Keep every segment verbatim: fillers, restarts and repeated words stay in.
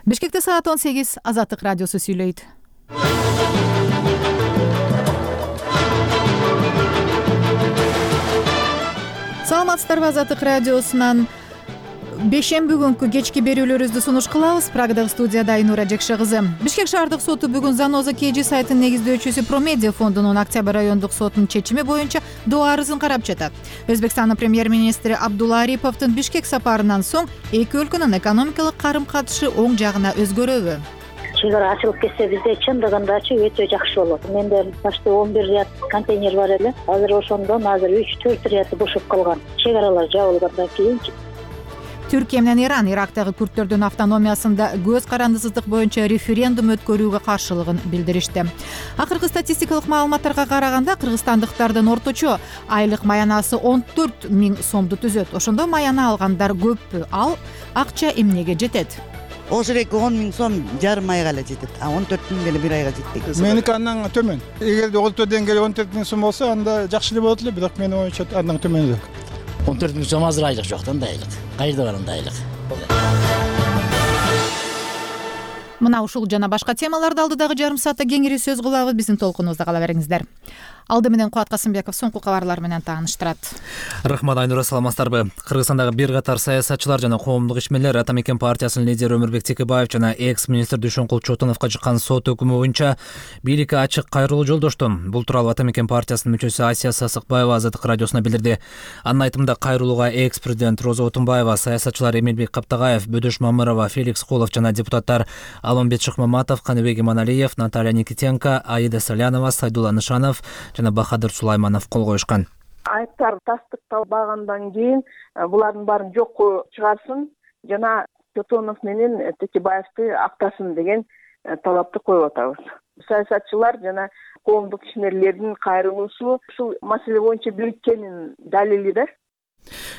Бишкекте саат он сегиз. Азаттык радиосу сүйлөйт. Саламатсыздарбы? Азаттык радиосунан бешемби күнкү кечки берүүлөрүбүздү сунуш кылабыз. Прагадагы студияда Айнура Жекше кызы. Бишкек шаардык соту бүгүн Заноза КЖ сайтынын негиздөөчүсү Промедиа фондунун Октябрь райондук сотунун чечими боюнча доо арызын карап жатат. Өзбекстандын премьер-министри Абдулла Ариповдун Бишкек сапарынан соң эки өлкөнүн экономикалык карым-катышы оң жагына өзгөрөбү? Чек ара ачылып кетсе бизде чындыгындачы өтө жакшы болот. Менде почти он бир ряд контейнер бар эле. Азыр ошондон азыр үч төрт ряд бошоп калган. Чек аралар жабылгандан кийин Түркия менен Иран Ирактагы күрттөрдүн автономиясында көз карандысыздык боюнча референдум өткөрүүгө каршылыгын билдиришти. Акыркы статистикалык маалыматтарга караганда кыргызстандыктардын орточо айлык маянасы он төрт миң сомду түзөт. Ошондо маяна алгандар көппү? Ал акча эмнеге жетет? Ошол эки он миң сом жарым айга эле жетет. А он төрт миң деле бир айга жетпейт. Меники андан төмөн. Эгерде олту деңгээли он төрт миң сом болсо, анда жакшы эле болот эле, бирок менин оюмча андан төмөнүрөөк. он төрт миң сом азыр айлык жок да, андай айлык. Кайда бар андай айлык? Мына ушул жана башка темаларды алдыдагы жарым саатта кеңири сөз кылабыз. Биздин толкунубузда кала бериңиздер. Алды менен Кубат Касымбеков соңку кабарлар менен тааныштырат. Рахмат, Айнура, саламатсыздарбы? Кыргызстандагы бир катар саясатчылар жана коомдук ишмерлер Ата Мекен партиясынын лидери Өмүрбек Текебаев жана экс-министр Дүйшөнкул Чотоновго чыккан сот өкүмү боюнча бийликке ачык кайрылуу жолдошту. Бул тууралуу Ата Мекен партиясынын мүчөсү Асия Сасыкбаева Азаттык радиосуна билдирди. Анын айтымында кайрылууга экс-президент Роза Отунбаева, саясатчылар Эмилбек Каптагаев, Бөдөш Мамырова, Феликс Холов жана депутаттар Алмамбет Шыкмаматов, Каныбек Иманалиев, Наталья Никитенко, Аида Салянова, Сайдулла Нышанов жана Бахадыр Сулайманов кол коюшкан. Айыптар тастыкталбагандан кийин булардын баарын жокко чыгарсын жана Чотонов менен Текебаевди актасын деген талапты коюп атабыз. Саясатчылар жана коомдук ишмерлердин кайрылуусу ушул маселе боюнча бириккенин далили да,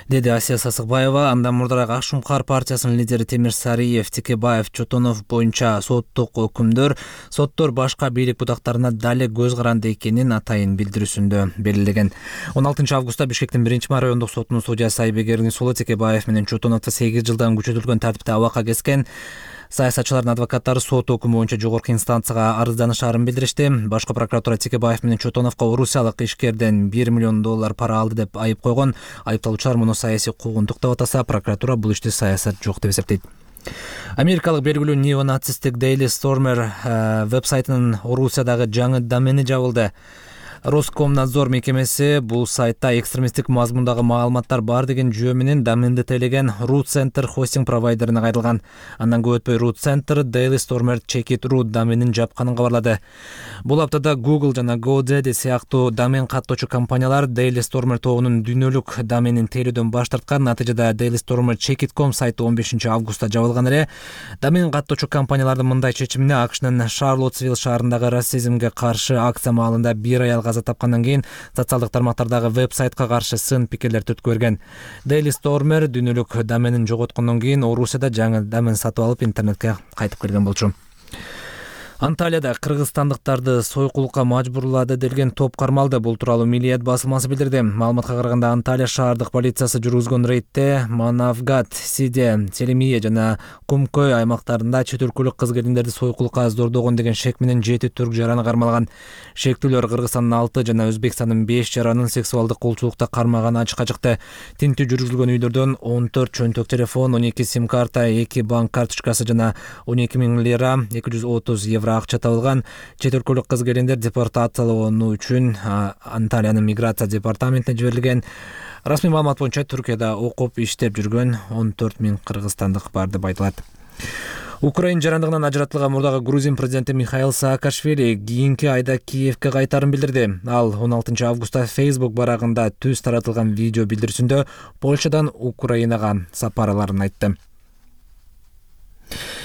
деди Асия Сасыкбаева. Андан мурдараак Ак Шумкар партиясынын лидери Темир Сариев, Текебаев, Чотонов боюнча соттук өкүмдөр соттор башка бийлик бутактарына дале көз каранды экенин атайын билдирүүсүндө белгилеген. он алтынчы августта Бишкектин биринчи райондук сотунун судьясы Айбек Сулу Текебаев менен Чотоновду сегиз жылдан күчөтүлгөн тартипте абакка кескен. Саясатчылардын адвокаттары сот өкүмү боюнча жогорку инстанцияга арызданышаарын билдиришти. Башкы прокуратура Текебаев менен Чотоновго орусиялык ишкерден бир миллион доллар пара алды деп айып койгон. Айыпталуучулар муну саясий куугунтук деп атаса, прокуратура бул иште саясат жок деп эсептейт. Америкалык белгилүү неонацисттик Daily Stormer веб-сайтынын Орусиядагы жаңы домени жабылды. Роскомнадзор мекемеси бул сайтта экстремисттик мазмундагы маалыматтар бар деген жүйө менен доменди тейлеген Root Center хостинг провайдерине кайрылган. Андан көп өтпөй Root Center Daily Stormer Check It Root доменин жапканын кабарлады. Бул аптада Google жана GoDaddy сыяктуу домен каттоочу компаниялар Daily Stormer тобунун дүйнөлүк доменин тейлөөдөн баш тарткан. Натыйжада Daily Stormer Check It ком сайты он бешинчи августта жабылган эле. Домен каттоочу компаниялардын мындай чечимине АКШнын Шарлоттсвилл шаарындагы расизмге каршы акция маалында бир аял каза тапкандан кийин социалдык тармактардагы веб-сайтка каршы сын пикирлер түрткү берген. Daily Stormer дүйнөлүк доменин жоготкондон кийин Орусияда жаңы домен сатып алып интернетке кайтып келген болчу. Анталияда кыргызстандыктарды сойкулукка мажбурлады делген топ кармалды. Бул тууралуу Милиет басылмасы билдирди. Маалыматка караганда Анталия шаардык полициясы жүргүзгөн рейдте Манавгат, Сиде, Селимие жана Кумкөй аймактарында чет өлкөлүк кыз-келиндерди сойкулукка зордогон деген шек менен жети түрк жараны кармалган. Шектүүлөр Кыргызстандын алты жана Өзбекстандын беш жаранын сексуалдык колчулукта кармаганы ачыкка чыкты. Тинтүү жүргүзүлгөн үйлөрдөн он төрт чөнтөк телефон, он эки сим карта, эки банк карточкасы жана он эки миң лира, эки жүз отуз евро акча табылган. Чет өлкөлүк кыз-келиндер депортациялануу үчүн Анталиянын миграция департаментине жиберилген. Расмий маалымат боюнча Түркияда окуп иштеп жүргөн он төрт миң кыргызстандык бар деп айтылат. Украин жарандыгынан ажыратылган мурдагы Грузин президенти Михаил Саакашвили кийинки айда Киевке кайтарын билдирди. Ал он алтынчы августта Facebook барагында түз таратылган видео билдирүүсүндө Польшадан Украинага сапарларын айтты.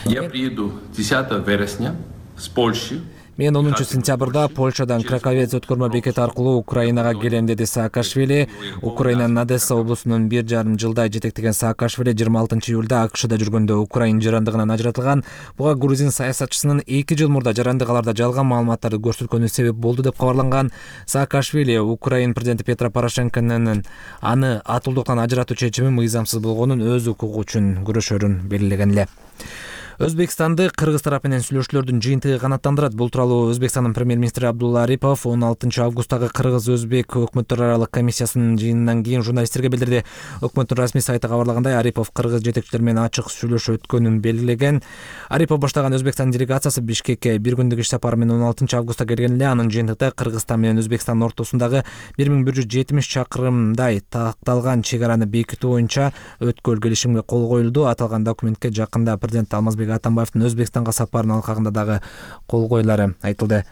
Я приеду десятого вересня с Польши. Мен онунчу сентябрда Польшадан Краковец өткөрмө бекети аркылуу Украинага келем, деди Саакашвили. Украинанын Одесса облусунун бир жарым жылдай жетектеген Саакашвили жыйырма алтынчы июлда АКШда жүргөндө Украин жарандыгынан ажыратылган. Буга грузин саясатчысынын эки жыл мурда жарандыгаларда жалган маалыматтарды көрсөткөнү себеп болду деп кабарланган. Саакашвили Украин президенти Петро Порошенконун аны атуулдуктан ажыратуу чечими мыйзамсыз болгонун, өз укугу үчүн күрөшөрүн белгилеген эле. Өзбекстанды Кыргыз тарап менен сүйлөшүүлөрдүн жыйынтыгы канааттандырат. Бул тууралуу Өзбекстандын премьер-министри Абдулла Арипов он алтынчы августтагы Кыргыз-Өзбек өкмөттөр аралык комиссиясынын жыйынынан кийин журналисттерге билдирди. Өкмөттүн расмий сайты кабарлагандай, Арипов Кыргыз жетекчилери менен ачык сүйлөшүү өткөнүн белгилеген. Арипов баштаган Өзбекстан делегациясы Бишкекке бир күндүк иш сапары менен он алтынчы августта келген эле. Анын жыйынтыгында Кыргызстан менен Өзбекстандын ортосундагы бир миң бир жүз жетимиш чакырымдай такталган чек араны бекитүү боюнча өткөл келишимге кол коюлду. Аталган документке жакында президент Алмазбек Атамбаевдин Өзбекстанга сапарынын алкагында дагы кол коюлары айтылды.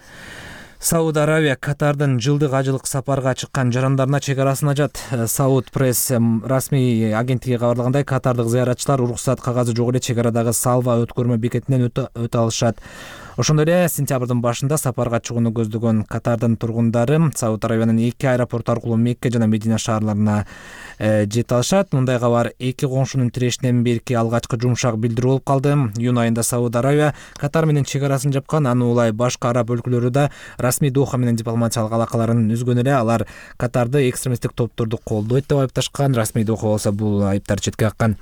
Сауд Аравия Катардын жылдык ажылык сапарга чыккан жарандарына чек арасын ачат. Сауд пресс расмий агенттиги кабарлагандай, катардык зыяратчылар уруксат кагазы жок эле чек арадагы Салва өткөрмө бекетинен өтө алышат. Ошондой эле сентябрдын башында сапарга чыгууну көздөгөн Катардын тургундары Сауд Аравиянын эки аэропорт аркылуу Мекке жана Медина шаарларына жете алышат. Мындай кабар эки коңшунун тирешинен берки алгачкы жумшак билдирүү болуп калды. Июнь айында Сауд Аравия Катар менен чек арасын жапкан. Аны улай башка араб өлкөлөрү да расмий Доха менен дипломатиялык алакаларын үзгөн эле. Алар Катарды экстремисттик топторду колдойт деп айыпташкан. Расмий Доха болсо бул айыптарды четке каккан.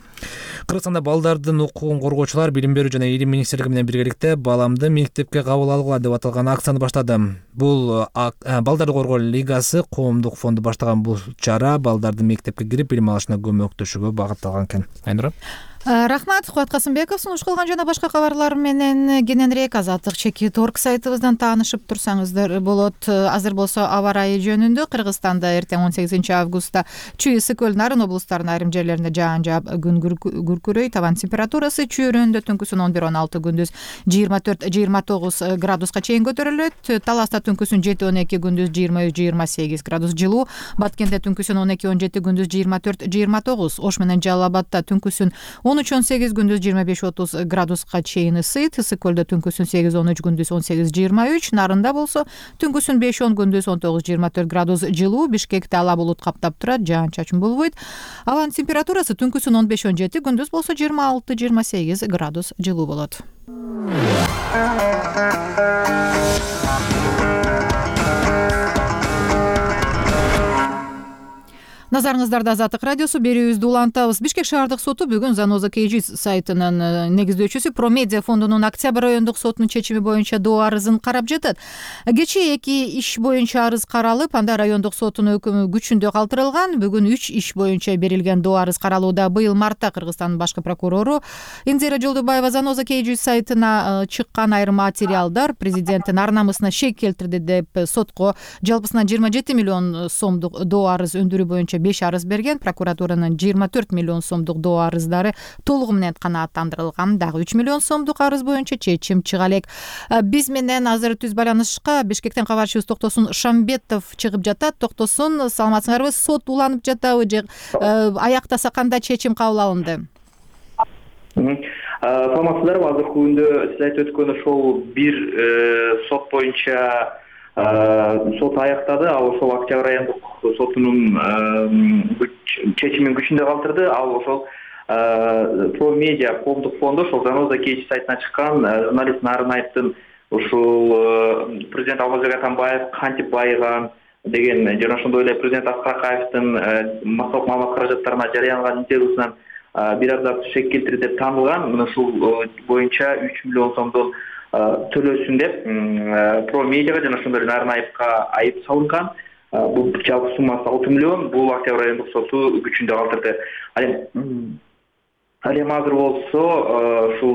Кыргызстанда балдардын укугун коргоочулар Билим берүү жана Илим министрлиги менен биргеликте баламды мектепке кабыл алгыла деп аталган акцияны баштады. Бул Балдарды коргоо лигасы коомдук фонду баштаган бул чара балдардын мектепке кирип билим алышына көмөктөшүүгө багытталган экен. Айнура. Рахмат, Кубат Касымбеков. Сунуш кылган жана башка кабарлар менен кененирээк Азаттык чекит орг сайтыбыздан таанышып турсаңыздар болот. Азыр болсо аба ырайы жөнүндө Кыргызстанда эртең он сегизинчи августта Чүй, Ысык-Көл, Нарын облустарынын айрым жерлеринде жаан жаап, күн күркүрөй, табан температурасы Чүй районунда түнкүсүн он бир он алты, күндүз жыйырма төрт жыйырма тогуз градуска чейин көтөрүлөт. Таласта түнкүсүн жети он эки, күндүз жыйырма үч жыйырма сегиз градус жылуу. Баткенде түнкүсүн он эки он жети, күндүз жыйырма төрт жыйырма тогуз. Ош менен Жалал Абадта түнкүсүн он үч он сегиз, күндүз жыйырма беш отуз градуска чейин ысыйт. Ысык-Көлдө түнкүсүн сегиз он үч, күндүз он сегиз жыйырма үч. Нарында болсо түнкүсүн беш он, күндүз он тогуз жыйырма төрт градус жылуу. Бишкекте ала булут каптап турат, жаан-чачын болбойт. Абанын температурасы түнкүсүн он беш он жети, күндүз болсо жыйырма алты жыйырма сегиз градус жылуу болот. Назарыңыздарда Азаттык радиосу, берүүбүздү улантабыз. Бишкек шаардык соту бүгүн Заноза Кей Жи сайтынын негиздөөчүсү Промедиа фондунун Октябрь райондук сотунун чечими боюнча доо арызын карап жатат. Кечээ эки иш боюнча арыз каралып, анда райондук сотунун өкүмү күчүндө калтырылган. Бүгүн үч иш боюнча берилген доо арыз каралууда. Быйыл мартта Кыргызстандын башкы прокурору Инзира Жолдубаева Заноза Кей Жи сайтына чыккан айрым материалдар президенттин ар намысына шек келтирди деп сотко жалпысынан жыйырма жети миллион сомдук доо арыз өндүрүү боюнча беш арыз берген. Прокуратуранын жыйырма төрт миллион сомдук доо арыздары толугу менен канааттандырылган. Дагы үч миллион сомдук арыз боюнча чечим чыга элек. Биз менен азыр түз байланышка Бишкектен кабарчыбыз Токтосун Шамбетов чыгып жатат. Токтосун, саламатсыңарбы? Сот уланып жатабы же аяктаса кандай чечим кабыл алынды? Саламатсыздарбы? Азыркы күндө сиз айтып өткөн ошол бир сот боюнча сот аяктады. Ал ошол Октябрь райондук сотунун чечимин күчүндө калтырды. Ал ошол Промедиа коомдук фонду ошол Заноза Кей Жи сайтына чыккан журналист Нарынаевдин ушул президент Алмазбек Атамбаев кантип байыган деген жана ошондой эле президент Аскар Акаевдин массалык маалымат каражаттарына жарыяланган интервьюсунан бир абзац шек келтирди деп таанылган. Мына ушул боюнча үч миллион сомдон төлөсүн деп Промедиага жана ошондой эле Нарынаевга айып салынган. Бул жалпы суммасы алты миллион. Бул Октябрь райондук соту күчүндө калтырды. Ал эми азыр болсо ушул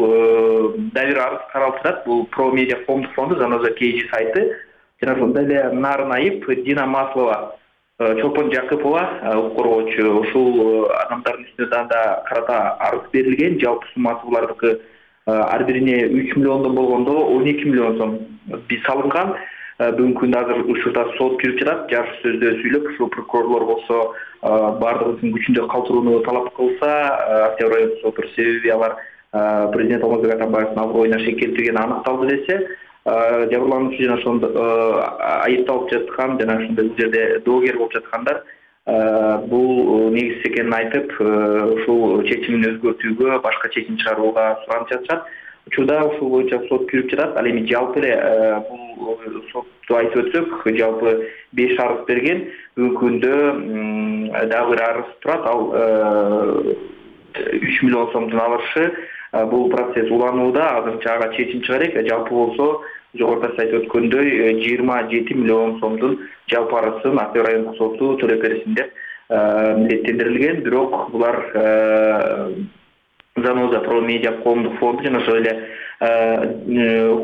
дагы бир арыз каралып жатат. Бул Промедиа коомдук фонду, Заноза Кей Жи сайты жана ошондой эле Нарынаев Дина Маслова, Чолпон Жакыпова укук коргоочу. Ушул адамдардын үстүнө да карата арыз берилген. Жалпы суммасы булардыкы ар бирине үч миллиондон болгондо он эки миллион сом биз салынган. Бүгүнкү күндө азыр учурда сот жүрүп жатат. Жарыш сөздө сүйлөп, ушул прокурорлор болсо бардыгын күчүндө калтырууну талап кылса, Октябрь райондук соту себеби алар президент Алмазбек Атамбаевдин аброюна шек келтиргени аныкталды десе, жабырлануучу жана ошондо айыпталып жаткан жана ошондой бул жерде доогер болуп жаткандар бул негизсиз экенин айтып, ушул чечимин өзгөртүүгө, башка чечим чыгарууга суранып жатышат. Учурда ушул боюнча сот жүрүп жатат. Ал эми жалпы эле бул сотту айтып өтсөк, жалпы беш арыз берген. Бүгүнкү күндө дагы бир арыз турат. Ал үч миллион сомдун алышы бул процесс уланууда, азырынча ага чечим чыга элек. Жалпы болсо жогоруда сайт өткөндөй жыйырма жети миллион сомдун жалпы арызын Ак үй райондук соту төлөп берсин деп милдеттендирилген. Бирок булар Заноза про медиа коомдук фонду жана ошол эле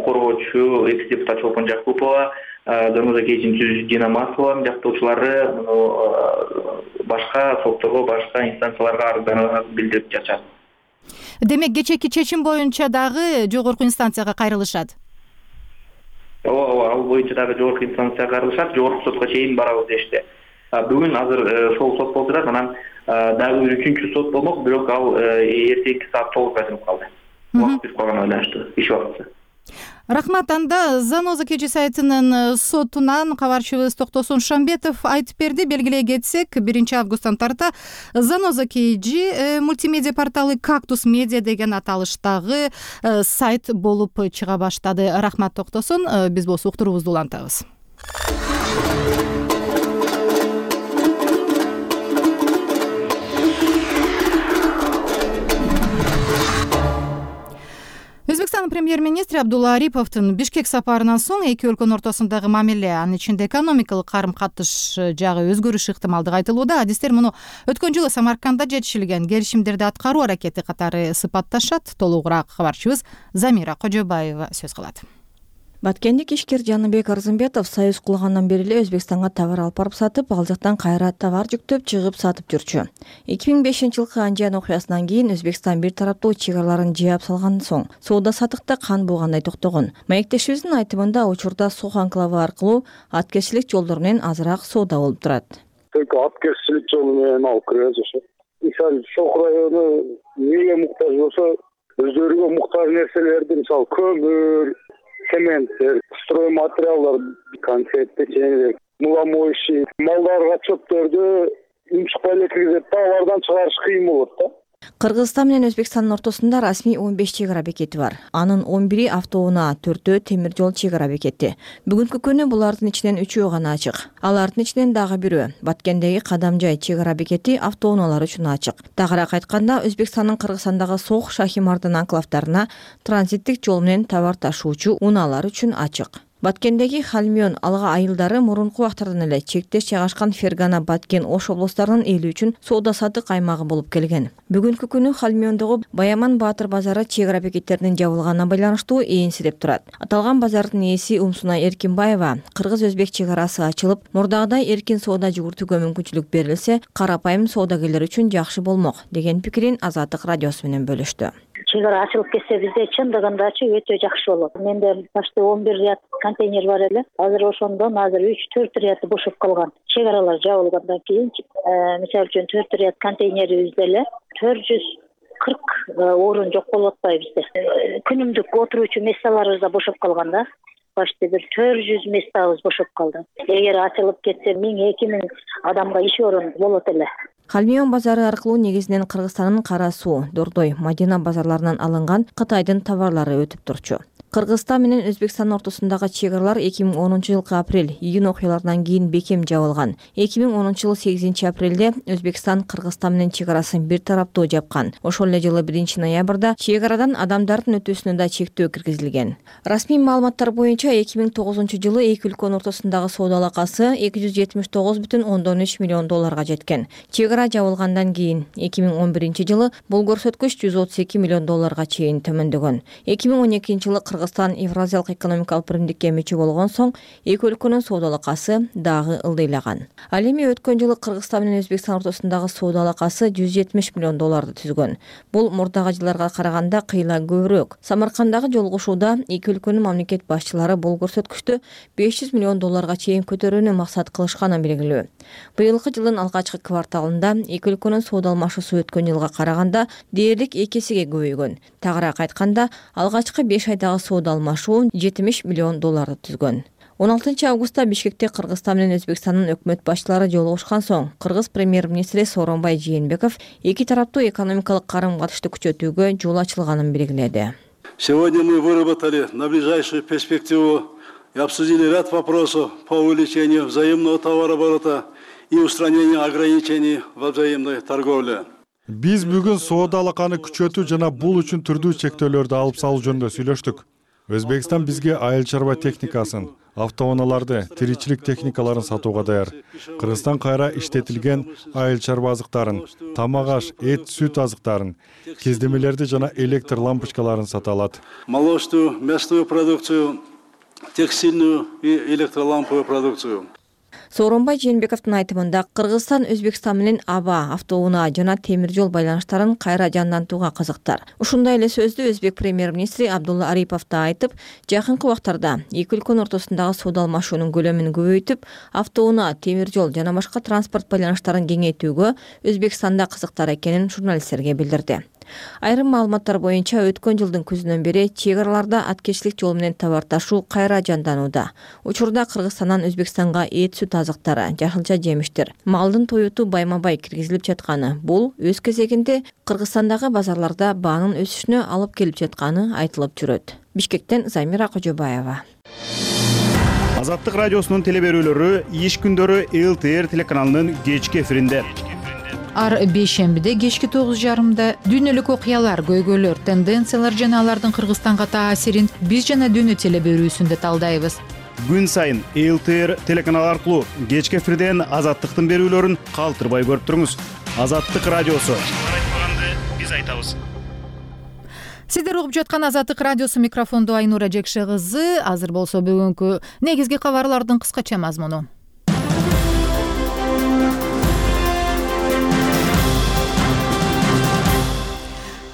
коргоочу экс депутат Чолпон Жакупова, Заноза кечинин түзүүчүсү Дина Маслованын жактоочулары башка сотторго, башка инстанцияларга арызданып билдирип жатышат. Демек кечээки чечим боюнча дагы жогорку инстанцияга кайрылышат. Ооба, ооба, ал боюнча дагы жогорку инстанцияга кайрылышат, жогорку сотко чейин барабыз дешти. Бүгүн азыр сол сот болуп жатат, анан дагы бир үчүнчү сот болмок, бирок ал эртеңки саат тогузга чыгып калды. Убакыт бүтүп калганга байланыштуу, иш убакыты. Рахмат. Анда Заноза Кежи сайтынын сотунан кабарчыбыз Токтосун Шамбетов айтып берди. Белгилей кетсек, биринчи августтан тарта Заноза Кежи мультимедиа порталы Кактус Медиа деген аталыштагы сайт болуп чыга баштады. Рахмат Токтосун. Биз болсо уктуруубузду улантабыз. Өзбекстандын премьер-министри Абдулла Ариповдун Бишкек сапарынан соң эки өлкөнүн ортосундагы мамиле, анын ичинде экономикалык карым-катыш жагы өзгөрүш ыктымалдыгы айтылууда. Адистер муну өткөн жылы Самаркандда жетишилген келишимдерди аткаруу аракети катары сыпатташат. Толугураак кабарчыбыз Замира Кожобаева сөз кылат. Баткендик ишкер Жаныбек Арзымбетов союз курулгандан бери эле Өзбекстанга товар алып барып сатып, ал жактан кайра товар жүктөп чыгып сатып жүрчү. эки миң бешинчи жылкы Анжан окуясынан кийин Өзбекстан бир тараптуу чек араларын жаап салгандан соң соода сатыкта кан болгондой токтогон. Маектешибиздин айтымында учурда Сох анклавы аркылуу аткезчилик жолдор менен азыраак соода болуп турат. Только аткезчилик жолу менен алып киребиз ошо. Мисалы Сох району эмнеге муктаж болсо, өздөрүгө муктаж нерселерди, мисалы көмүр, цементтер, стройматериалдар, конфет, печенье, муламоющий, малдарга чөптөрдү унчукпай эле киргизет да, алардан чыгарыш кыйын болот да. Кыргызстан менен Өзбекстандын ортосунда расмий он беш чек ара бекети бар. Анын он бири автоунаа, төртөө темир жол чек ара бекети. Бүгүнкү күнү булардын ичинен үчөө гана ачык. Алардын ичинен дагы бирөө Баткендеги Кадамжай чек ара бекети автоунаалар үчүн ачык. Тагыраак айтканда, Өзбекстандын Кыргызстандагы Сох, Шахимардын анклавдарына транзиттик жол менен товар ташуучу унаалар үчүн ачык. Баткендеги Халмион алга айылдары мурунку убактардан эле чектеш жайгашкан Фергана, Баткен, Ош облустарынын эли үчүн соода сатык аймагы болуп келген. Бүгүнкү күнү Халмиондогу Баяман Баатыр базары чек ара бекеттеринин жабылганына байланыштуу ээнсирип турат. Аталган базардын ээси Умсуна Эркинбаева, кыргыз-өзбек чек арасы ачылып, мурдагыдай эркин соода жүгүртүүгө мүмкүнчүлүк берилсе, карапайым соодагерлер үчүн жакшы болмок деген пикирин Азаттык радиосу менен бөлүштү. Чек ара ачылып кетсе бизде чындыгындачы өтө жакшы болот. Менде башта он бир ряд контейнер бар эле. Азыр ошондон азыр үч төрт ряды бошоп калган. Чек аралар жабылгандан кийин, мисалы үчүн төрт ряд контейнерибизде эле төрт жүз кырк орун жок болуп атпайбы бизде. Күнүмдүк отуруучу месталарыбыз да бошоп калган да. Башта бир төрт жүз местабыз бошоп калды. Эгер ачылып кетсе миң эки миң адамга иш орун болот эле. Халмион базары аркылуу негизинен Кыргызстандын Кара Суу, Дордой, Мадина базарларынан алынган Кытайдын товарлары өтүп турчу. Кыргызстан менен Өзбекстандын ортосундагы чек аралар эки миң онунчу жылкы апрель-июнь окуяларынан кийин бекем жабылган. эки миң онунчу жылы сегизинчи апрелде Өзбекстан Кыргызстан менен чек арасын бир тараптуу жапкан. Ошол эле жылы биринчи ноябрда чек арадан адамдардын өтүүсүнө да чектөө киргизилген. Расмий маалыматтар боюнча эки миң тогузунчу жылы эки өлкөнүн ортосундагы соода алакасы эки жүз жетимиш тогуз бүтүн ондон үч миллион долларга жеткен. Чек ара жабылгандан кийин эки миң он биринчи жылы бул көрсөткүч жүз отуз эки миллион долларга чейин төмөндөгөн. эки миң он экинчи жылы Кыргызстан Евразиялык экономикалык биримдикке мүчө болгон соң эки өлкөнүн соода алакасы дагы ылдыйлаган. Ал эми өткөн жылы Кыргызстан менен Өзбекстан ортосундагы соода алакасы жүз жетимиш миллион долларды түзгөн. Бул мурдагы жылдарга караганда кыйла көбүрөөк. Самаркандагы жолугушууда эки өлкөнүн мамлекет башчылары бул көрсөткүчтү беш жүз миллион долларга чейин көтөрүүнү максат кылышканы белгилүү. Быйылкы жылдын алгачкы кварталында эки өлкөнүн соода алмашуусу өткөн жылга караганда дээрлик эки эсеге көбөйгөн. Тагыраак айтканда, алгачкы беш айдагы соода алмашуу жетимиш миллион долларды түзгөн. он алтынчы августта Бишкекте Кыргызстан менен Өзбекстандын өкмөт башчылары жолугушкан соң Кыргыз премьер-министри Сооронбай Жээнбеков эки тараптуу экономикалык карым-катышты күчөтүүгө жол ачылганын белгиледи. Сегодня мы выработали на ближайшую перспективу и обсудили ряд вопросов по увеличению взаимного товарооборота и устранению ограничений во взаимной торговле. Биз бүгүн соода алаканы күчөтүү жана бул үчүн түрдүү чектөөлөрдү алып салуу жөнүндө сүйлөштүк. Өзбекстан бизге айыл чарба техникасын, автоунааларды, тиричилик техникаларын сатууга даяр. Кыргызстан кайра иштетилген айыл чарба азыктарын, тамак аш, эт, сүт азыктарын, кездемелерди жана электр лампочкаларын сата алат. Молочную, мясную продукцию, текстильную и электроламповую продукцию. Сооронбай Жээнбековдун айтымында Кыргызстан Өзбекстан менен аба, автоунаа жана темир жол байланыштарын кайра жандантууга кызыктар. Ушундай эле сөздү өзбек премьер-министри Абдулла Арипов да айтып, жакынкы убактарда эки өлкөнүн ортосундагы соода алмашуунун көлөмүн көбөйтүп, автоунаа, темир жол жана башка транспорт байланыштарын кеңейтүүгө Өзбекстанда кызыктар экенин журналисттерге билдирди. Айрым маалыматтар боюнча өткөн жылдын күзүнөн бери чек араларда аткечилик жол менен товар ташуу кайра жанданууда. Учурда Кыргызстандан Өзбекстанга эт, сүт азыктары, жашылча жемиштер, малдын тоюту байма-бай киргизилип жатканы. Бул өз кезегинде Кыргызстандагы базарларда баанын өсүшүнө алып келип жатканы айтылып жүрөт. Бишкектен Замира Кожобаева. Азаттык радиосунун телеберүүлөрү иш күндөрү эл тэ эр телеканалынын кечки эфиринде. Ар бейшембиде кечки тогуз жарымда дүйнөлүк окуялар, көйгөйлөр, тенденциялар жана алардын Кыргызстанга таасирин биз жана дүйнө телеберүүсүндө талдайбыз. Күн сайын эл тэ эр телеканалы аркылуу кечки эфирден Азаттыктын берүүлөрүн калтырбай көрүп туруңуз. Азаттык радиосу. Биз айтабыз. Сиздер угуп жаткан Азаттык радиосу, микрофондо Айнура Жекше кызы. Азыр болсо бүгүнкү негизги кабарлардын кыскача мазмуну.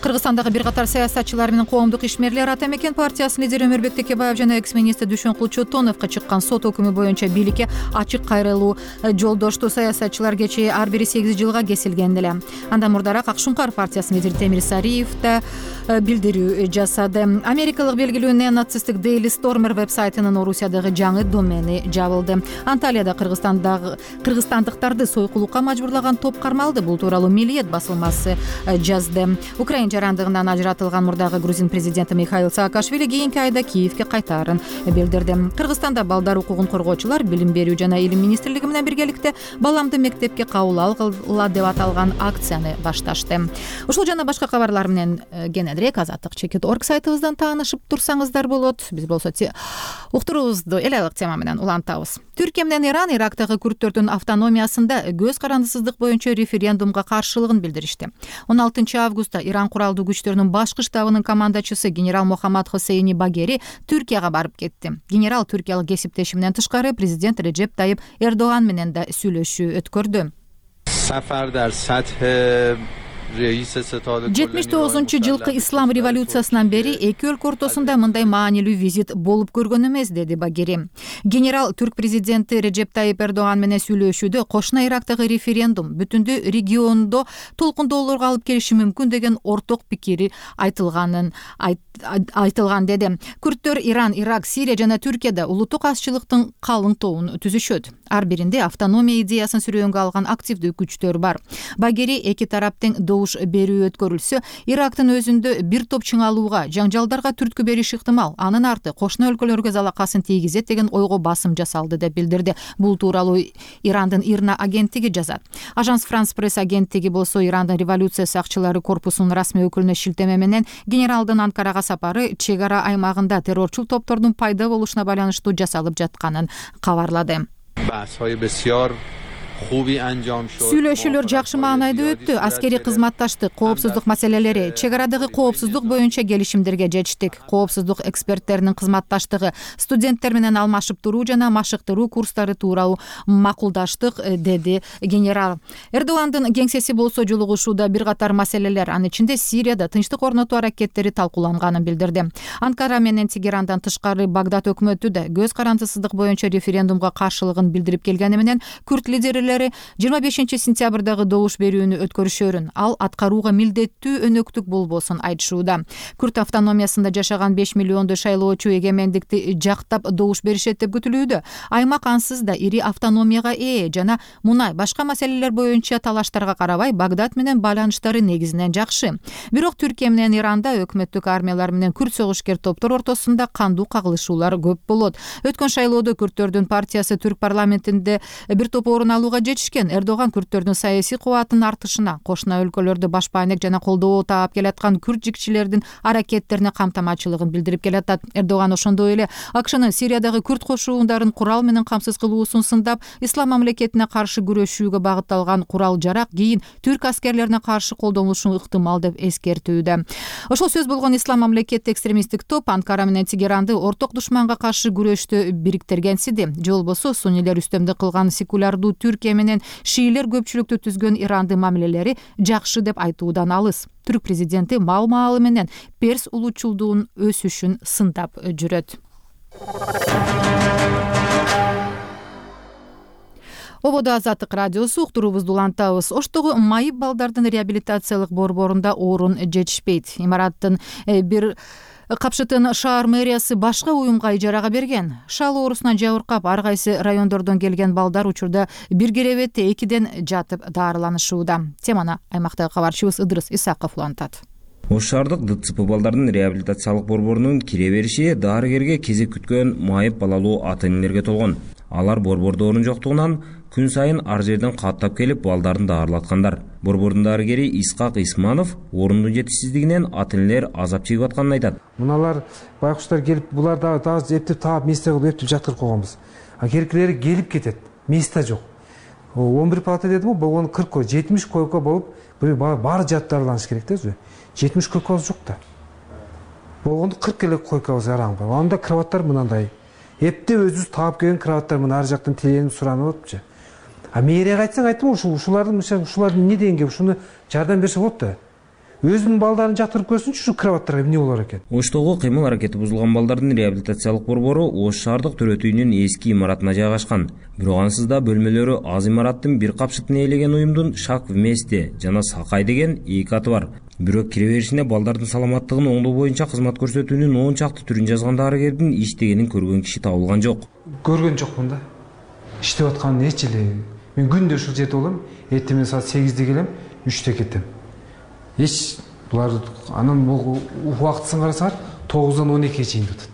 Кыргызстандагы бир катар саясатчылар менен коомдук ишмерлер Ата Мекен партиясынын лидери Өмүрбек Текебаев жана экс-министр Дүйшөнкул Чотоновго чыккан сот өкүмү боюнча бийликке ачык кайрылуу жолдошту. Саясатчылар кечээ ар бири сегиз жылга кесилген эле. Андан мурдараак Ак Шуңкар партиясынын лидери Темир Сариев да билдирүү жасады. Америкалык белгилүү неонацисттик Daily Stormer веб-сайтынын Орусиядагы жаңы домени жабылды. Анталияда Кыргызстандагы кыргызстандыктарды сойкулукка мажбурлаган топ кармалды. Бул тууралуу Милиет басылмасы жазды. Украина жарандыгынан ажыратылган мурдагы грузин президенти Михаил Саакашвили кийинки айда Киевге кайтаарын билдирди. Кыргызстанда балдар укугун коргоочулар Билим берүү жана Илим министрлиги менен биргеликте баламды мектепке кабыл алгыла деп аталган акцияны башташты. Ушул жана башка кабарлар менен кененирээк азаттык чекит точка орг сайтыбыздан таанышып турсаңыздар болот. Биз болсо уктуруубузду эл айлык тема менен улантабыз. Түркия менен Иран Ирактагы күрттөрдүн автономиясында көз карандысыздык боюнча референдумга каршылыгын билдиришти. он алтынчы августта Иран куралдуу күчтөрүнүн башкы штабынын командачысы генерал Мохаммад Хосейни Багери Түркияга барып кетти. Генерал түркиялык кесиптеши менен тышкары президент Реджеп Тайип Эрдоган менен да сүйлөшүү өткөрдү. жетимиш тогузунчу жылкы ислам революциясынан бери эки өлкө ортосунда мындай маанилүү визит болуп көргөн эмес, деди Багери. Генерал түрк президенти Реджеп Тайип Эрдоган менен сүйлөшүүдө кошуна Ирактагы референдум бүтүндү региондо толкундоолорго алып келиши мүмкүн деген орток пикири айтылганын айтылган деди. Күрттөр Иран, Ирак, Сирия жана Түркияда улуттук азчылыктын калың тобун түзүшөт. Ар биринде автономия идеясын сүрөөнгө алган активдүү күчтөр бар. Багери эки тараптын добуш берүү өткөрүлсө, Ирактын өзүндө бир топ чыңалууга, жаңжалдарга түрткү бериши ыктымал. Анын арты кошуна өлкөлөргө залакасын тийгизет деген ойго басым жасалды деп билдирди. Бул тууралуу Ирандын Ирна агенттиги жазат. Ажанс Франс пресс агенттиги болсо Ирандын революция сакчылары корпусунун расмий өкүлүнө шилтеме менен генералдын Анкарага сапары чек ара аймагында террорчул топтордун пайда болушуна байланыштуу жасалып жатканын кабарлады. Сүйлөшүүлөр жакшы маанайда өттү. Аскери кызматташтык, коопсуздук маселелери, чек арадагы коопсуздук боюнча келишимдерге жетиштик. Коопсуздук эксперттеринин кызматташтыгы, студенттер менен алмашып туруу жана машыктыруу курстары тууралуу макулдаштык, деди генерал. Эрдогандын кеңсеси болсо жолугушууда бир катар маселелер, анын ичинде Сирияда тынчтык орнотуу аракеттери талкууланганын билдирди. Анкара менен Тегерандан тышкары Багдад өкмөтү да көз карандысыздык боюнча референдумга каршылыгын билдирип келгени менен күрт лидерлери жыйырма бешинчи сентябрдагы добуш берүүнү өткөрүшөрүн, ал аткарууга милдеттүү өнөктүк болбосун айтышууда. Күрт автономиясында жашаган беш миллиондой шайлоочу эгемендикти жактап добуш беришет деп күтүлүүдө. Аймак ансыз да ири автономияга ээ жана мунай башка маселелер боюнча талаштарга карабай Багдад менен байланыштары негизинен жакшы. Бирок Түркия менен Иранда өкмөттүк армиялар менен күрт согушкер топтор ортосунда кандуу кагылышуулар көп болот. Өткөн шайлоодо күрттөрдүн партиясы түрк парламентинде бир топ орун алууга мурдага жетишкен. Эрдоган күрттөрдүн саясий кубатынын артышына, кошуна өлкөлөрдө баш байнек жана колдоо таап келаткан күрт жигчилердин аракеттерине камтамачылыгын билдирип келатат. Эрдоган ошондой эле АКШнын Сириядагы күрт кошуундарын курал менен камсыз кылуусун сындап, ислам мамлекетине каршы күрөшүүгө багытталган курал-жарак кийин түрк аскерлерине каршы колдонулушу ыктымал деп эскертүүдө. Ошол сөз болгон ислам мамлекети экстремисттик топ Анкара менен Тегеранды орток душманга каршы күрөштө бириктиргенсиди. Же болбосо суннилер үстөмдүк кылган секулярдуу Түркия менен шиилер көпчүлүктү түзгөн Иранды мамилелери жакшы деп айтуудан алыс. Түрк президенти маал-маалы менен Перс улуучулдугунун өсүшүн сындап жүрөт. Ободо Азаттык радиосу, уктуруубузду улантабыз. Оштогу майып балдардын реабилитациялык борборунда орун жетишпейт. Имараттын бир капшытын шаар мэриясы башка уюмга ижарага берген. Шал оорусуна жабыркап, ар кайсы райондордон келген балдар учурда бир керебетте экиден жатып даарыланышууда. Теманы аймактагы кабарчыбыз Ыдырыс Исаков улантат. Ош шаардык ДЦП балдардын реабилитациялык борборунун кире бериши дарыгерге кезек күткөн майып балалуу ата-энелерге толгон. Алар борбордо орун жоктугунан күн сайын ар жерден каттап келип балдарын даарылаткандар. Борбордун дарыгери Исқақ Исманов орундун жетишсиздигинен ата-энелер азап чегип атканын айтат. Муналар байкуштар келип, булар дагы эптеп таап месте кылып эптеп жаткырып койгонбуз. А керекилери келип кетет, месте жок. он бир палата дедим го, болгону кырк койко, жетимиш койко болуп, баары жатып даарыланыш керек да өзү. жетимиш койкобуз жок да. Болгону кырк эле койкобуз араң бар. Анда кроваттар мынандай. Эптеп өзүбүз таап келген кроваттар мына ар жактан тиленип суранып атыпчы. А мэрияга айтсаң айттым, ушул ушулардын ушулардын эмне дегенге ушуну жардам берсе болот да. Өзүнүн балдарын жатырып көрсүнчү, ушу кроваттарга эмне болор экен. Оштогу кыймыл аракети бузулган балдардын реабилитациялык борбору Ош шаардык төрөт үйүнүн эски имаратына жайгашкан. Бирок ансыз да бөлмөлөрү аз имараттын бир капшытын ээлеген уюмдун Шак вместе жана Сакай деген эки аты бар. Бирок кире беришине балдардын саламаттыгын оңдоо боюнча кызмат көрсөтүүнүн он чакты түрүн жазган дарыгердин иштегенин көргөн киши табылган жок. Көргөн жокмун да. Иштеп атканын эч эле. Мен күндө ушул жерде болом, эртең саат сегизде келем, үчтө кетем. Эч булар анан бул убактысын карасаңар тогуздан он экиге чейин жатат.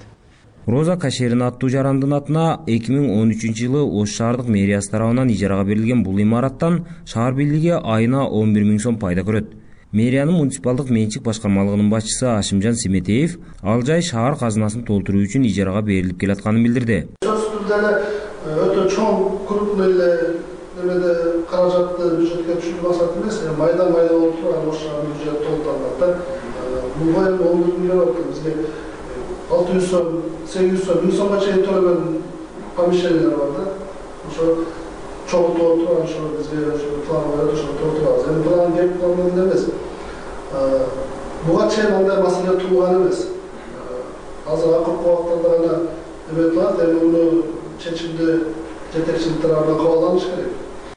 Роза Кашерин аттуу жарандын атына эки миң он үчүнчү жылы Ош шаардык мэриясы тарабынан ижарага берилген бул имараттан шаар бийлиги айына он бир миң сом пайда көрөт. Мэриянын муниципалдык менчик башкармалыгынын башчысы Ашимжан Семетеев ал жай шаар казынасын толтуруу үчүн ижарага берилип келатканын билдирди. Өтө чоң крупный эле немеде каражатты бюджетке түшүрүү максаты эмес, майда майда болуп турган Ош шаарынын бюджети толтурулат да. Бул бою он бир миллион болот. Бизге алты жүз сом, сегиз жүз сом, миң сомго чейин төлөгөн помещениялар бар да. Ошо чогуу толтуруп, ошо бизге ошо план бар, ошо толтурабыз. Эми план кеп калган эмес. Буга чейин андай маселе туулган эмес. Азыр акыркы убактарда гана эме кылат, эми муну чечимди жетекчилик тарабынан кабыл алыш керек.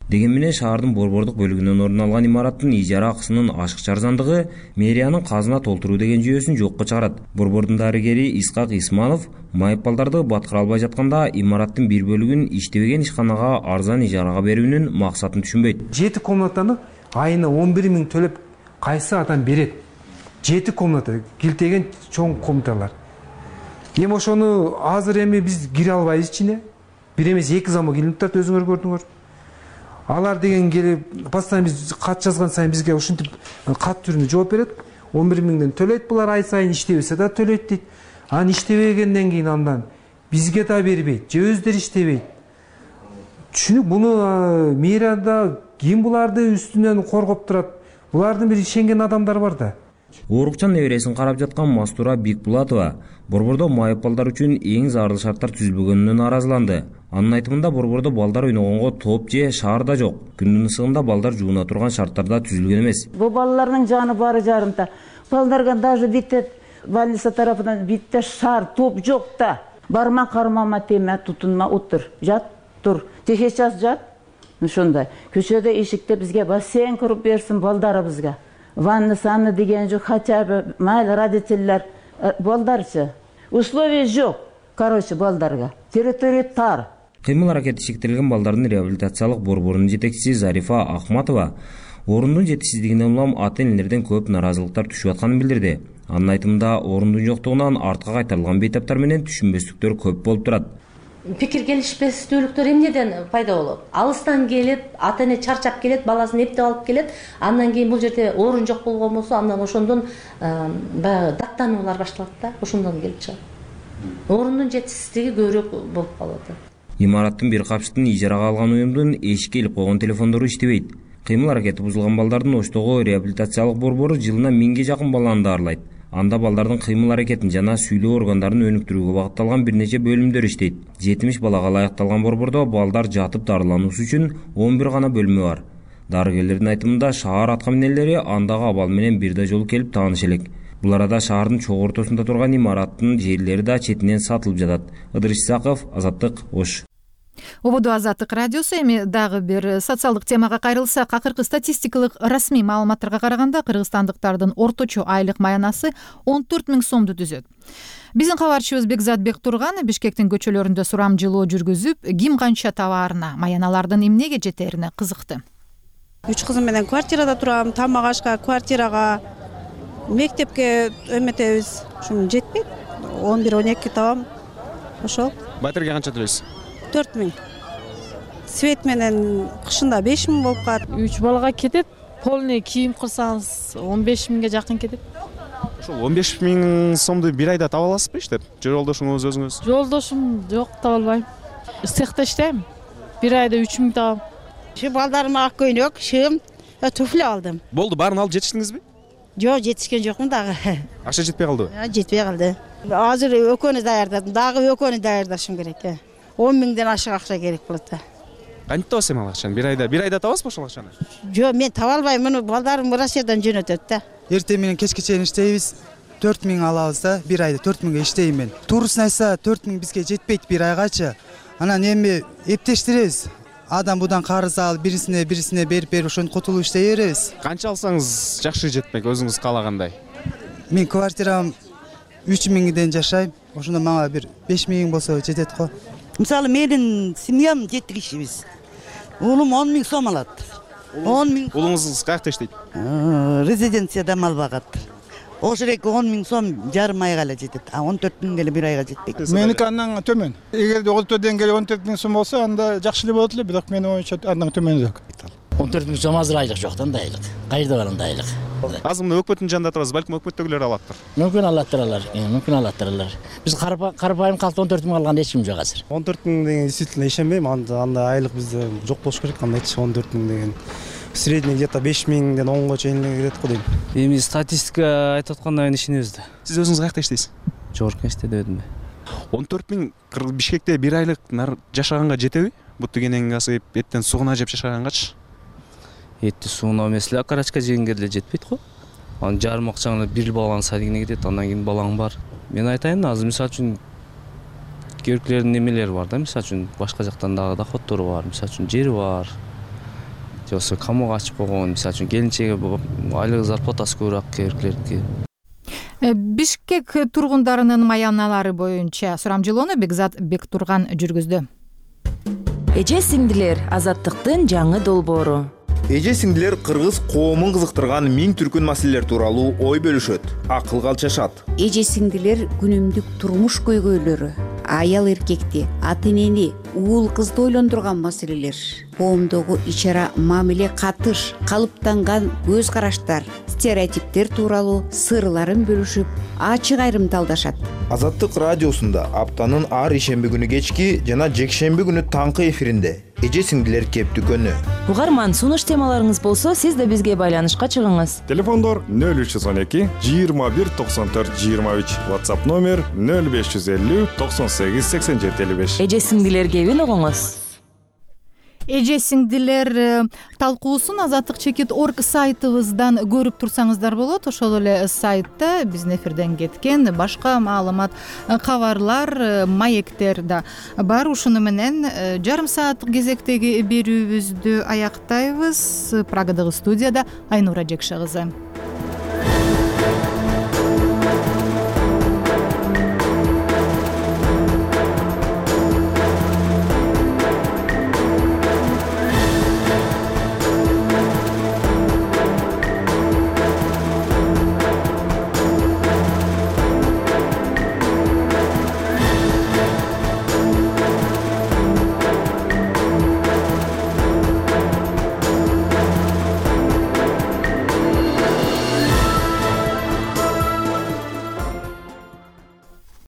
Деген менен шаардын борбордук бөлүгүнөн орун алган имараттын ижара акысынын ашыкча арзандыгы мэриянын казына толтуруу деген жүйөсүн жокко чыгарат. Борбордун дарыгери Исқақ Исманов майып балдарды баткыра албай жатканда имараттын бир бөлүгүн иштебеген ишканага арзан ижарага берүүнүн максатын түшүнбөйт. Жети комнатаны айына он бир миң төлөп кайсы адам берет? Жети комната, килтеген чоң комнаталар. Эми ошону азыр эми биз кире албайбыз ичине. Бир эмес эки замок илинип турат, өзүңөр көрдүңөр. Алар деген келип, постоянно биз кат жазган сайын бизге ушинтип кат түрүндө жооп берет. он бир миңден төлөйт булар ай сайын, иштебесе да төлөйт дейт. Анан иштебегенден кийин андан бизге да бербейт, же өздөрү иштебейт. Түшүнүк, буну мэрияда ким буларды үстүнөн коргоп турат? Булардын бир ишенген адамдар бар да. Оорукчан небересин карап жаткан Мастура Бикбулатова борбордо майып балдар үчүн эң зарыл шарттар түзүлбөгөнүнөн нааразыланды. Анын айтымында борбордо балдар ойногонго топ же шаарда жок. Күндүн ысыгында балдар жууна турган шарттарда түзүлгөн эмес. Бул балдардын жаны бары жарымта. Балдарга даже битте больница тарафынан битте шаар топ жок да. Барма кармама теме, тутунма, отур. Жат, тур. Теше час жат. Ошондой. Көчөдө эшикте бизге бассейн куруп берсин балдарыбызга. Ванна саны деген жок, хотя бы майыл родительler балдарчы. Условий жок, короче, балдарга. Территория тар. Кыймыл аракети шектелген балдардын реабилитациялык борборунун жетекчиси Зарифа Ахматова орундун жетишсиздигинен улам ата-энелерден көп наразылыктар түшүп атканын билдирди. Анын айтымында орундун жоктугунан артка кайтарылган бейтаптар менен түшүнбөстүктөр көп болуп турат. пикир келишпестүүлүктөр эмнеден пайда болот? Алыстан келет, ата эне чарчап келет, баласын эптеп алып келет. Андан кийин бул жерде орун жок болгон болсо, андан ошондон баягы даттануулар башталат да, ошондон келип чыгат. Орундун жетишсиздиги көбүрөөк болуп калат. Имараттын бир капчыктын ижарага алган уюмдун эшикке илип койгон телефондору иштебейт. Кыймыл аракети бузулган балдардын Оштогу реабилитациялык борбору жылына миңге жакын баланы даарылайт. Анда балдардын кыймыл аракетин жана сүйлөө органдарын өнүктүрүүгө багытталган бир нече бөлүмдөр иштейт. жетимиш балага ылайыкталган борбордо балдар жатып дарылануусу үчүн он бир гана бөлмө бар. Дарыгерлердин айтымында шаар атка минелери андагы абал менен бир да жолу келип тааныш элек. Бул арада шаардын чогуу ортосунда турган имараттын жерлери да четинен сатылып жатат. Ыдырыш Исаков, Азаттык, Ош. Ободо Азаттык радиосу. Эми дагы бир социалдык темага кайрылсак, акыркы статистикалык расмий маалыматтарга караганда кыргызстандыктардын орточо айлык маянасы он төрт миң сомду түзөт. Биздин кабарчыбыз Бекзат Бектурган Бишкектин көчөлөрүндө сурамжылоо жүргүзүп, ким канча табаарына, маяналардын эмнеге жетерине кызыкты. Үч кызым менен квартирада турам, тамак ашка, квартирага, мектепке эметебиз. Ушун жетпейт. он бир он эки табам. Ошол. Батирге канча төлөйсүз? төрт миң. Свет менен кышында беш миң болуп калат. үч балага кетет. Полный кийим кылсаңыз он беш миңге жакын кетет. Ошол он беш миң сомду бир айда таба аласызбы иштеп? Жолдошуңуз, өзүңүз? Жолдошум жок, таба албайм. Цехта иштейм. Бир айда үч миң табам. Şu baldarıma ak көйнөк, шым, туфли алдым. Болду, баарын алып жетиштиңизби? Жок, жетишкен жокмун дагы. Акча жетпей калдыбы? Жетпей калды. Азыр экөөнү даярдадым, дагы экөөнү даярдашым керек. он миңден ашык акча керек болот. Кантип табасыз эми ал акчаны? Бир айда, бир айда табасызбы ошол акчаны? Жок, мен таба албайм, муну балдарым Россиядан жөнөтөт да. Эртең менен кечке чейин иштейбиз. төрт миң алабыз да, бир айда төрт миңге иштейм мен. Туурусын айтса, төрт миң бизге жетпейт бир айгачы. Анан эми эптештиребиз. Адам будан карыз алып, бирисине бирисине берип берип ошону котулуп иштей беребиз. Канча алсаңыз жакшы жетмек, өзүңүз каалагандай? Мен квартирам үч миңден жашайм. Ошондо мага бир беш миң болсо жетет го. Мисалы менин семьям жети кишибиз. Уулум он миң сом алат. он миң. Уулуңуз каякта иштейт? Резиденцияда мал багат. Ошол эки он миң сом жарым айга эле жетет. А он төрт миң эле бир айга жетпейт. Меники андан төмөн. Эгерде орто деңгээли он төрт миң сом болсо, анда жакшы эле болот эле, бирок менин оюмча андан төмөнүрөөк. он төрт миң сом азыр айлык жок да, андай айлык. Кайда бар андай айлык? Азыр мына өкмөттүн жанында турабыз, балким өкмөттөгүлөр алаттыр. Мүмкүн алаттыр алар, мүмкүн алаттыр алар. Биз карапайым калкты он төрт миң алган эч ким жок азыр. он төрт миң деген действительно ишенбейм, анда андай айлык бизде жок болуш керек, андайчы он төрт миң деген. Средний где-то беш миңден онго чейин келет го дейм. Эми статистика айтып аткандан кийин ишенебиз да. Сиз өзүңүз каякта иштейсиз? Жогорку мектепте өтүм. он төрт миң Бишкекте бир айлык жашаганга жетеби? Буту кенен асып, эттен сугуна жеп жашагангачы? Этти сууна эмес эле, карачка жегенге деле жетпейт го. Анын жарым акчаңы бир баланын садигине кетет, андан кийин балаң бар. Мен айтайын, азыр мисалы үчүн керкилердин немелери бар да, мисалы үчүн башка жактан дагы доходтору бар, мисалы үчүн жери бар. Жоксо камок ачып койгон, мисалы үчүн келинчеге айлык зарплатасы көбүрөөк керкилердики. Бишкек тургундарынын маяналары боюнча сурамжылоону Бекзат Бектурган жүргүздү. Эже сиңдилер, азаттыктын жаңы долбоору. Эже сиңдилер кыргыз коомун кызыктырган миң түркүн маселелер тууралуу ой бөлүшөт, акыл калчашат. Эже сиңдилер күнүмдүк турмуш көйгөйлөрү, аял эркекти, ата энени, уул кызды ойлондурган маселелер, коомдогу ичара мамиле катыш, калыптанган көз караштар, стереотиптер тууралуу сырларын бөлүшүп, ачык айрымдалдашат. Азаттык радиосунда аптанын ар ишемби күнү кечки жана жекшемби күнү таңкы эфиринде эже сиңдилер кептүү күнү. Угарман, сунуш темаларыңыз болсо, сиз да бизге байланышка чыгыңыз. Телефондор нөл үч жүз он эки жыйырма бир токсон төрт жыйырма үч, WhatsApp номер нөл беш жүз элүү токсон сегиз сексен жети элүү беш. Эже сиңдилер кебин угуңуз. Эже сиңдилер талкуусун азаттык чекит точка орг сайтыбыздан көрүп турсаңыздар болот. Ошол эле сайтта биздин эфирден кеткен башка маалымат, кабарлар, маектер да бар. Ушуну менен жарым сааттык кезектеги берүүбүздү аяктайбыз. Прагадагы студияда Айнура Жекше кызы.